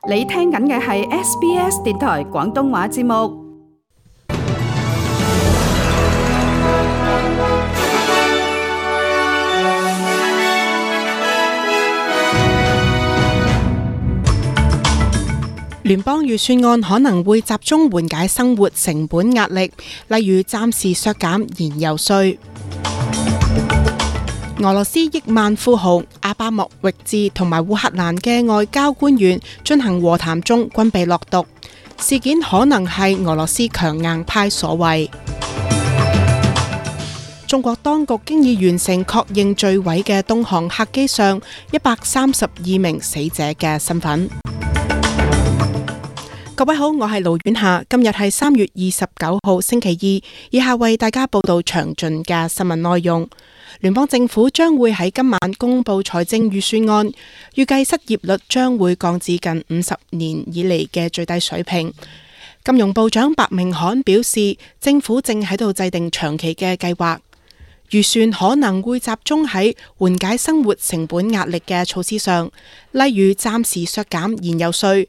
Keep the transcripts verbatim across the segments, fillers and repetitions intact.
你聽緊嘅係 S B S 電台廣東話節目。聯邦預算案可能會集中緩解生活成本壓力，例如暫時削減燃油稅。俄羅斯億萬富豪阿巴莫域治同埋烏克蘭嘅外交官員進行和談中均被落毒，事件可能係俄羅斯強硬派所為。中國當局經已完成確認墜毀嘅東航客機上一百三十二名死者嘅身份。各位好，我係盧婉霞，今日係三月二十九號星期二，以下為大家報道詳盡嘅新聞內容。聯邦政府將會喺今晚公布財政預算案，預計失業率將會降至近五十年以嚟嘅最低水平。金融部長白明翰表示，政府正喺度制定長期嘅計劃，預算可能會集中喺緩解生活成本壓力嘅措施上，例如暫時削減燃油稅。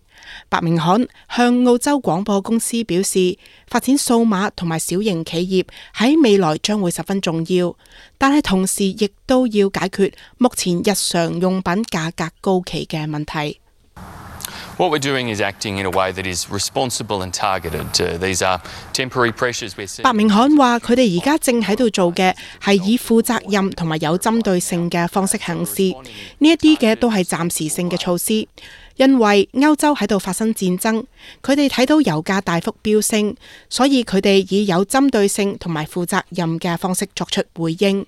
白明翰向澳洲廣播公司表示，發展數碼同埋小型企業喺未來將會十分重要，但係同時亦都要解決目前日常用品價格高企嘅問題。What we're doing is acting in a way that is responsible and targeted. Uh, these are temporary pressures we're seeing. 白明翰話：佢哋而家正喺度做嘅係以負責任同埋有針對性嘅方式行事，呢一啲嘅都係暫時性嘅措施。因為歐洲喺度發生戰爭，佢哋睇到油價大幅飆升，所以佢哋以有針對性同埋負責任嘅方式作出回應。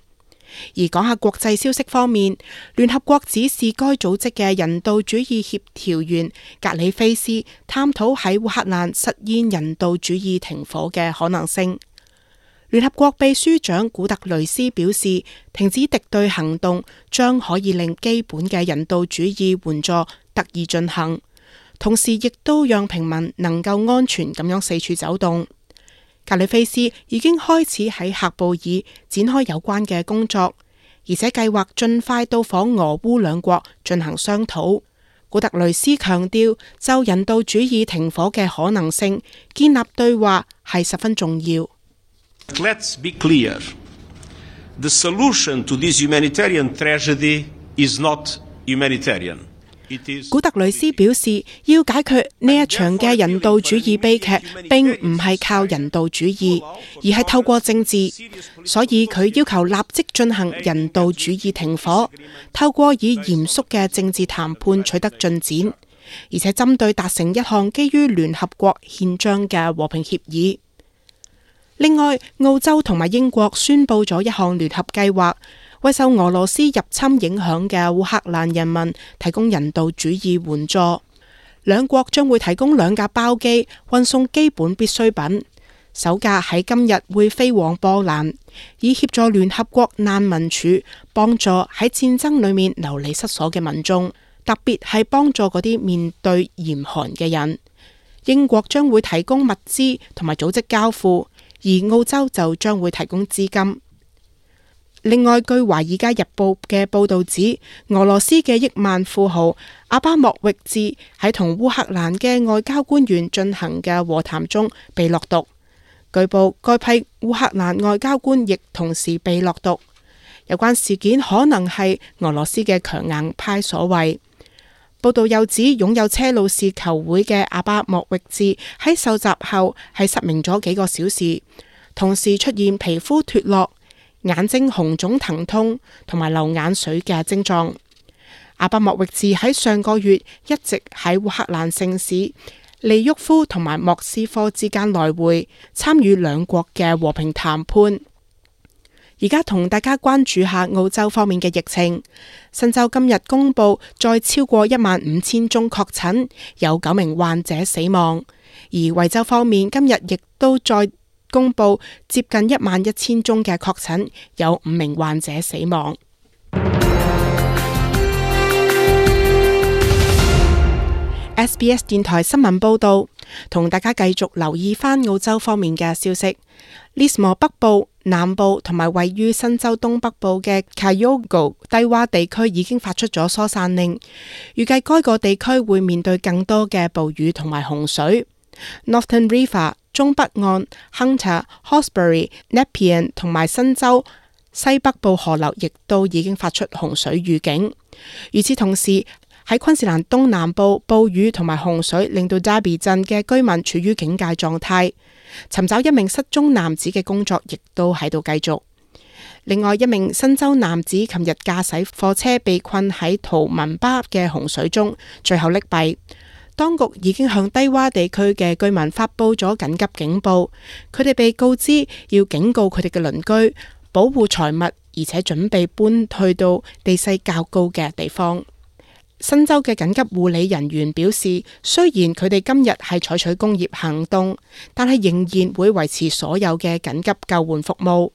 而講下國際消息方面，聯合國指示該組織嘅人道主義協調員格里菲斯探討喺烏克蘭實現人道主義停火嘅可能性。聯合國秘書長古特雷斯表示，停止敵對行動將可以令基本嘅人道主義援助得以進行，同時亦都讓平民能夠安全咁樣四處走動。格里菲斯已經開始喺喀布爾展開有關嘅工作，而且計劃盡快到訪俄烏兩國進行商討。古特雷斯強調，就人道主義停火嘅可能性，建立對話係十分重要。Let's be clear. The solution to this humanitarian tragedy is not humanitarian. 古特雷斯表示，要解決呢一場嘅人道主義悲劇，並唔係靠人道主義，而係透過政治。所以佢要求立即進行人道主義停火，透過以嚴肅嘅政治談判取得進展，而且針對達成一項基於聯合國憲章嘅和平協議。另外，澳洲同埋英國宣布咗一項聯合計劃，為受俄羅斯入侵影響嘅烏克蘭人民提供人道主義援助。兩國將會提供兩架包機運送基本必需品，首架喺今日會飛往波蘭，以協助聯合國難民署幫助喺戰爭裏面流離失所嘅民眾，特別係幫助嗰啲面對嚴寒嘅人。英國將會提供物資同埋組織交付，而澳洲就將會提供資金。另外，據《華爾街日報》嘅報導指，俄羅斯嘅億萬富豪阿巴莫域治喺同烏克蘭嘅外交官員進行嘅和談中被落毒。據報，該批烏克蘭外交官亦同時被落毒。有關事件可能係俄羅斯嘅強硬派所為。報道又指，擁有車路士球會嘅阿巴莫域治喺受襲後係失明咗幾個小時，同時出現皮膚脫落、眼睛紅腫疼痛同埋流眼水嘅症狀。阿巴莫域治喺上個月一直喺烏克蘭城市利沃夫同埋莫斯科之間來回，參與兩國嘅和平談判。而家同大家關注下澳洲方面嘅疫情。新州今日公布再超過一萬五千宗確診，有九名患者死亡。而維州方面今日亦都再公布接近一萬一千宗嘅確診，有五名患者死亡。S B S 電台新聞報道，同大家繼續留意返澳洲方面嘅消息。Lismore 北部、南部同埋位於新州東北部嘅 Kyogo 低洼地區已經發出咗疏散令，預計該個地區會面對更多嘅暴雨同埋洪水。Northern River 中北岸、Hunter、Hawkesbury、Nepean 同埋新州西北部河流亦都已經發出洪水預警。與此同時，喺昆士蘭東南部，暴雨同埋洪水令到 Derby 鎮嘅居民處於警戒狀態。尋找一名失蹤男子嘅工作亦都喺度繼續。另外一名新州男子琴日駕駛貨車被困喺圖文巴嘅洪水中，最後溺斃。當局已經向低洼地區嘅居民發佈咗緊急警報，佢哋被告知要警告佢哋嘅鄰居，保護財物，而且準備搬去到地勢較高嘅地方。新州嘅緊急護理人員表示，雖然佢哋今日係採取工業行動，但係仍然會維持所有嘅緊急救援服務。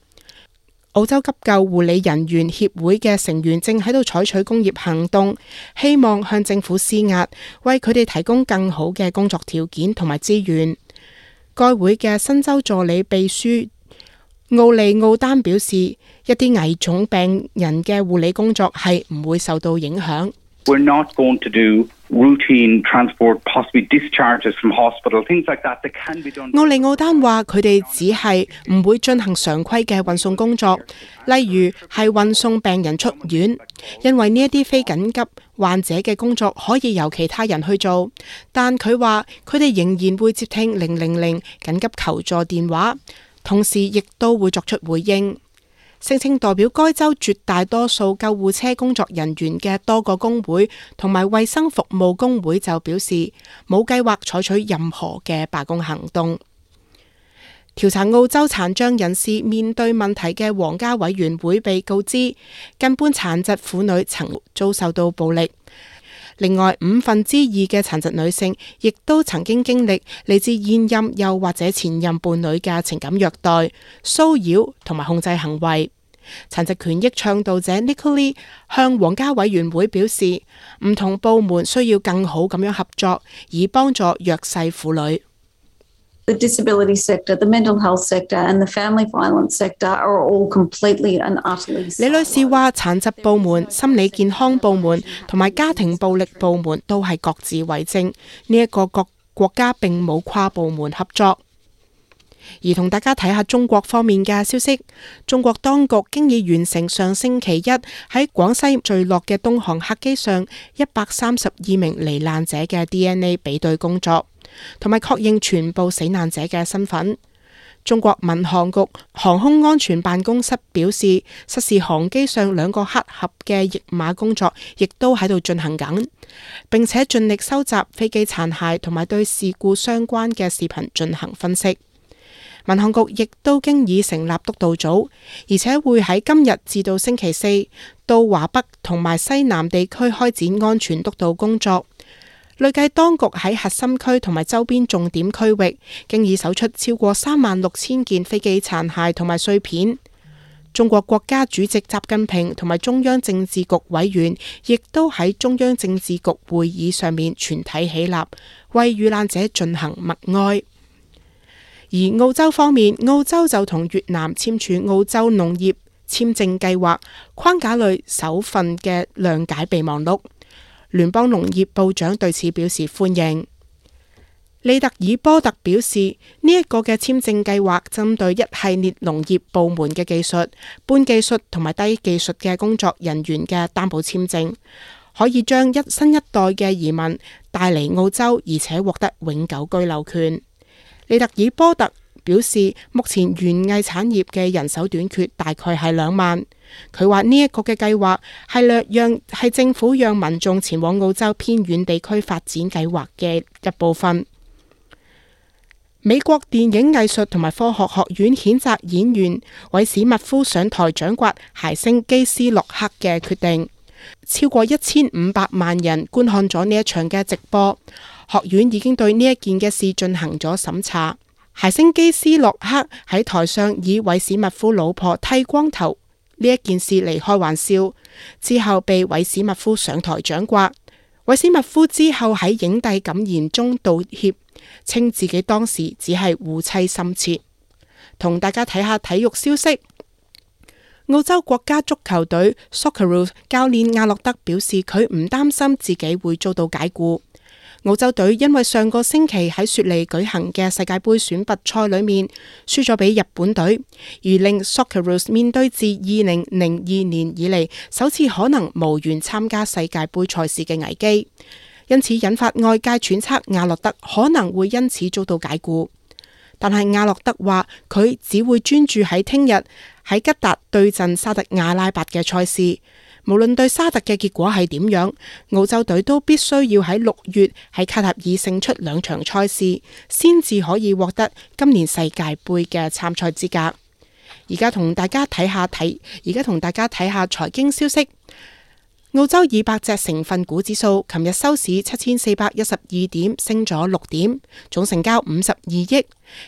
澳洲急救護理人員協會嘅成員正喺度採取工業行動，希望向政府施壓，為佢哋提供更好嘅工作條件同埋資源。該會嘅新州助理秘書奧利奧丹表示，一啲危重病人嘅護理工作係唔會受到影響。We're not going to do routine transport, possibly discharges from hospital, things like that that can be done. 奧利奧丹話：佢哋只係唔會進行常規嘅運送工作，例如係運送病人出院，因為呢一啲非緊急患者嘅工作可以由其他人去做。但佢話佢哋仍然會接聽零零零緊急求助電話，同時亦都會作出回應。聲稱代表該州絕大多數救護車工作人員嘅多個工會同埋衛生服務工會就表示冇計劃採取任何嘅罷工行動。調查澳洲殘障人士面對問題嘅皇家委員會被告知，近半殘疾婦女曾遭受到暴力。另外，五分之二嘅殘疾女性亦都曾經經歷嚟自現任又或者前任伴侶嘅情感虐待、騷擾同埋控制行為。殘疾權益倡導者 Nicola 向皇家委員會表示，唔同部門需要更好咁樣合作，以幫助弱勢婦女。The disability sector, the mental health sector and the family violence sector are all completely and utterly. 李女士話，殘疾部門、心理健康部門同埋家庭暴力部門都係各自為政，呢一個國國家並冇跨部門合作。而同大家睇下中國方面嘅消息，中國當局經已完成上星期一喺廣西墜落嘅東航客機上一百三十二名罹難者嘅 D N A 比對工作，同埋確認全部死難者嘅身份。中國民航局航空安全辦公室表示，失事航機上兩個黑盒嘅譯碼工作亦都喺度進行緊，並且盡力收集飛機殘骸同埋對事故相關嘅視頻進行分析。民航局亦都經已成立督導組，而且會喺今日至到星期四到華北同埋西南地區開展安全督導工作。累計當局喺核心區同埋周邊重點區域，經已搜出超過三萬六千件飛機殘骸同埋碎片。中國國家主席習近平同埋中央政治局委員，亦都喺中央政治局會議上面全體起立，為遇難者進行默哀。而澳洲方面，澳洲就同越南簽署澳洲農業簽證計劃框架類首份嘅諒解備忘錄。聯邦農業部長對此表示歡迎。利特爾波特表示，呢、這、一個嘅簽證計劃針對一系列農業部門嘅技術、半技術同埋低技術嘅工作人員嘅擔保簽證，可以將一新一代嘅移民帶嚟澳洲，而且獲得永久居留權。利特爾波特表示，目前園藝產業嘅人手短缺大概係兩萬。佢話呢一個嘅計劃係略讓係政府讓民眾前往澳洲偏遠地區發展計劃嘅一部分。美國電影藝術同埋科學學院譴責演員韋史密夫上台掌摑諧星基斯洛克嘅決定。超過一千五百萬人觀看咗呢一場嘅直播。學院已經對呢一件嘅事進行咗審查。諧星基斯洛克喺台上以韋史密夫老婆剃光頭呢一件事嚟開玩笑，之後被韋史密夫上台掌摑。韋斯密夫之後喺影帝感言中道歉，稱自己當時只係護妻心切。同大家睇下體育消息。澳洲國家足球隊 Socceroos 教練亞洛德表示，佢唔擔心自己會遭到解雇。澳洲隊因為上個星期喺雪梨舉行嘅世界盃選拔賽裏面輸咗俾日本隊，而令 Socceroos 面對自二零零二年以嚟首次可能無緣參加世界盃賽事嘅危機，因此引發外界揣測亞洛德可能會因此遭到解雇。但係亞洛德話佢只會專注喺聽日喺吉達對陣沙特阿拉伯嘅賽事。無論對沙特嘅結果係點樣，澳洲隊都必須要喺六月喺卡塔爾勝出兩場賽事，先至可以獲得今年世界盃嘅參賽資格。而家同大家睇下睇，而家同大家睇下財經消息。澳洲二百隻成分股指數琴日收市七千四百一十二點，升咗六點，總成交五十二億。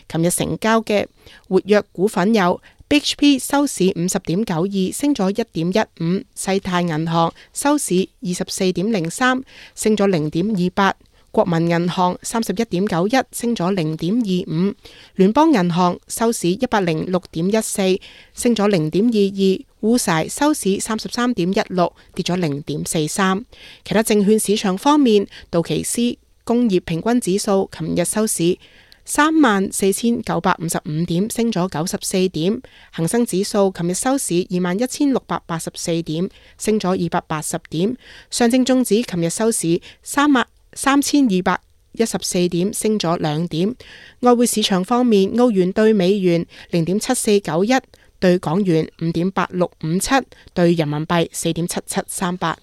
琴日成交嘅活躍股份有B H P 收市五十點九二，升咗一點一五；世泰銀行收市二十四點零三，升咗零點二八；國民銀行三十一點九一，升咗零點二五；聯邦銀行收市一百零六點一四，升咗零點二二；烏柴收市三十三點一六，跌咗零點四三。其他證券市場方面，道奇斯工業平均指數琴日收市三萬四千九百五十五點，升咗九十四點。恒生指數琴日收市二萬一千六百八十四點，升咗二百八十點。上證綜指琴日收市三萬三千二百一十四點，升咗兩點。外匯市場方面，澳元兌美元零點七四九一，兌港元五點八六五七，兌人民幣四點七七三八。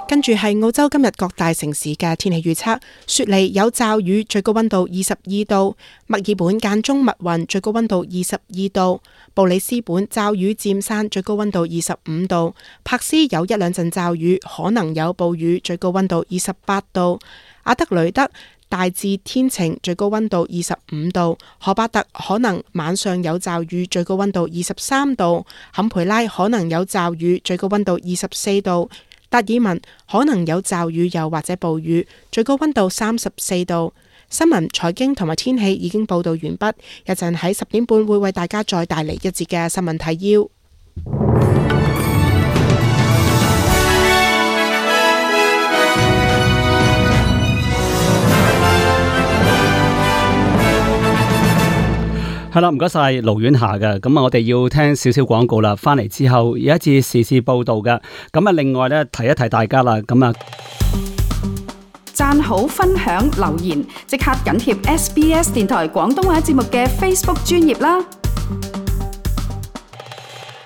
跟住係澳洲今日各大城市嘅天氣預測：雪梨有驟雨，最高溫度二十二度；墨爾本間中密雲，最高溫度二十二度；布里斯本驟雨漸散，最高溫度二十五度；柏斯有一兩陣驟雨，可能有暴雨，最高溫度二十八度；阿德雷德大致天晴，最高溫度二十五度；荷巴特可能晚上有驟雨，最高溫度二十三度；坎培拉可能有驟雨，最高溫度二十四度；達爾文可能有驟雨又或者暴雨，最高溫度三十四度。新聞、財經同埋天氣已經報道完畢，一陣喺十點半會為大家再帶嚟一節嘅新聞提要。係啦，唔該晒盧婉霞嘅。咁啊，我哋要聽少少廣告啦。翻嚟之後有一節時事報道嘅。咁啊，另外咧提一提大家啦。咁啊，讚好、分享、留言，即刻緊貼 S B S 電台廣東話節目嘅 Facebook 專頁啦。